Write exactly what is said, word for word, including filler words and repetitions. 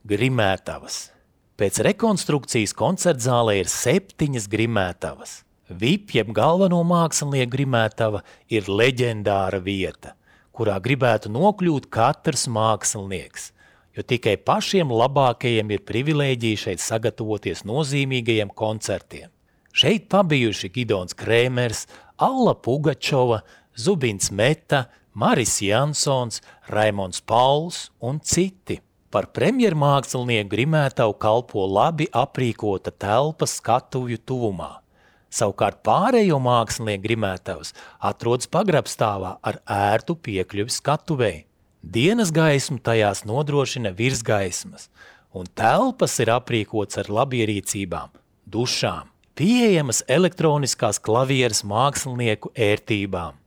Grimētavas. Pēc rekonstrukcijas koncertzālē ir septiņas grimētavas. V I P, jeb galveno mākslinieku grimētava, ir leģendāra vieta, kurā gribētu nokļūt katrs mākslinieks, jo tikai pašiem labākajiem ir privilēģija šeit sagatavoties nozīmīgajiem koncertiem. Šeit pabijuši Gidons Krēmers, Alla Pugačova, Zubins Meta, Maris Jansons, Raimonds Pauls un citi. Par premjermākslinieku grimētavu kalpo labi aprīkota telpa skatuvju tuvumā. Savukārt pārējo mākslinieku grimētavas atrodas pagrabstāvā ar ērtu piekļuvi skatuvei. Dienas gaismu tajās nodrošina virsgaismas, un telpas ir aprīkots ar labierīcībām, dušām, pieejamas elektroniskās klavieres mākslinieku ērtībām.